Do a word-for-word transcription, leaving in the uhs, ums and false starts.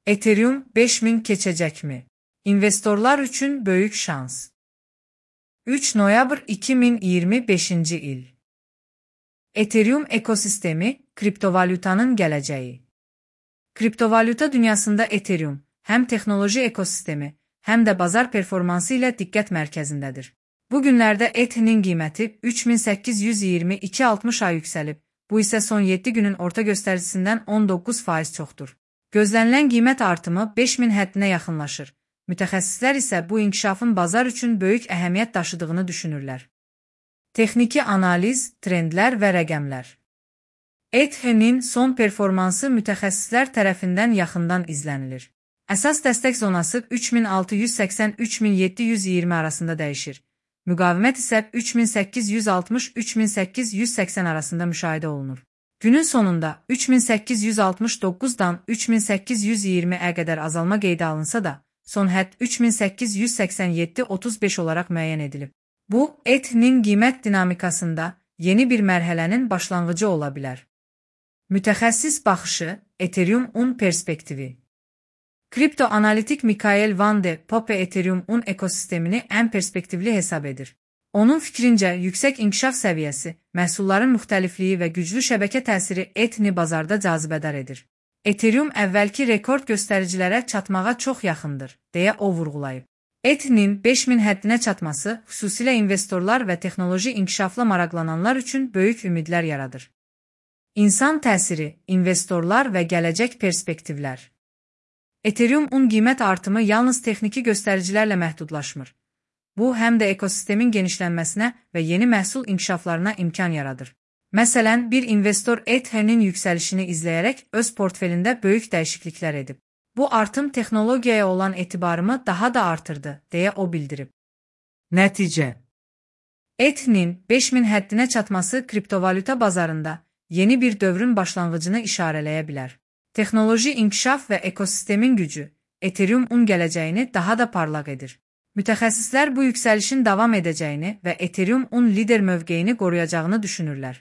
Ethereum beş min keçəcəkmi? İnvestorlar üçün böyük şans. üç noyabr iki min iyirmi beşinci il. Ethereum ekosistemi, kriptovalyutanın gələcəyi. Kriptovalyuta dünyasında Ethereum, həm texnoloji ekosistemi, həm də bazar performansı ilə diqqət mərkəzindədir. Bu günlərdə E T H'nin qiyməti üç min səkkiz yüz iyirmi iki altmış ay yüksəlib, bu isə son yeddi günün orta göstəricisindən on doqquz faiz çoxdur. Gözlənilən qiymət artımı beş min həddinə yaxınlaşır. Mütəxəssislər isə bu inkişafın bazar üçün böyük əhəmiyyət daşıdığını düşünürlər. Texniki analiz, trendlər və rəqəmlər. E T H'nin son performansı mütəxəssislər tərəfindən yaxından izlənilir. Əsas dəstək zonası üç min altı yüz səksən - üç min yeddi yüz iyirmi arasında dəyişir. Müqavimət isə üç min səkkiz yüz altmış - üç min səkkiz yüz səksən arasında müşahidə olunur. Günün sonunda üç min səkkiz yüz altmış doqquzdan üç min səkkiz yüz iyirmiyə qədər azalma qeydə alınsa da, son hədd üç min səkkiz yüz səksən yeddi - otuz beş olaraq müəyyən edilib. Bu, E T H'nin qiymət dinamikasında yeni bir mərhələnin başlanğıcı ola bilər. Mütəxəssis baxışı, Ethereum-un perspektivi. Kriptoanalitik Mikael Van de Poppe Ethereum-un ekosistemini ən perspektivli hesab edir. Onun fikrincə, yüksək inkişaf səviyyəsi, məhsulların müxtəlifliyi və güclü şəbəkə təsiri E T H'ni bazarda cazibədar edir. Ethereum əvvəlki rekord göstəricilərə çatmağa çox yaxındır, deyə o vurğulayıb. E T H'nin beş min həddinə çatması, xüsusilə investorlar və texnoloji inkişafla maraqlananlar üçün böyük ümidlər yaradır. İnsan təsiri, investorlar və gələcək perspektivlər. Ethereum-un qiymət artımı yalnız texniki göstəricilərlə məhdudlaşmır. Bu, həm də ekosistemin genişlənməsinə və yeni məhsul inkişaflarına imkan yaradır. Məsələn, bir investor E T H'nin yüksəlişini izləyərək öz portfelində böyük dəyişikliklər edib. Bu artım texnologiyaya olan etibarımı daha da artırdı, deyə o bildirib. Nəticə: E T H'nin beş min həddinə çatması kriptovalyuta bazarında yeni bir dövrün başlanğıcını işarələyə bilər. Texnoloji inkişaf və ekosistemin gücü Ethereum-un gələcəyini daha da parlaq edir. Mütəxəssislər bu yüksəlişin davam edəcəyini və Ethereum-un lider mövqeyini qoruyacağını düşünürlər.